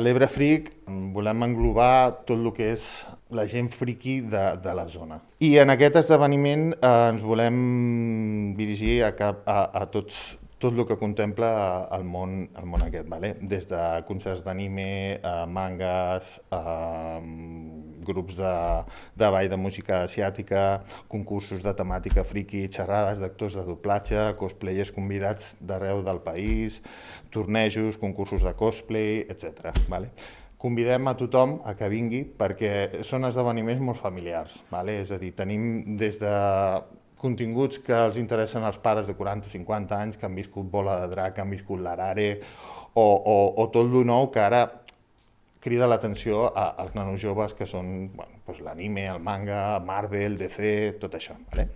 L'Ebre Freak volem englobar tot el que és la gent friki de la zona. I en aquest esdeveniment ens volem dirigir a tot el que contempla el món aquest, vale? Des de concerts d'anime, mangas, grups de ball de música asiàtica, concursos de temàtica friki, xerrades d'actors de doblatge, cosplayers convidats d'arreu del país, tornejos, concursos de cosplay, etc. Vale? Convidem a tothom a que vingui perquè són esdeveniments molt familiars. Vale? És a dir, tenim des de continguts que els interessen als pares de 40-50 anys, que han viscut Bola de Drac, que han viscut l'Arare, o tot lo nou que ara crida l'atenció als nanos joves que són l'anime, el manga, Marvel, DC, tot això. Vale?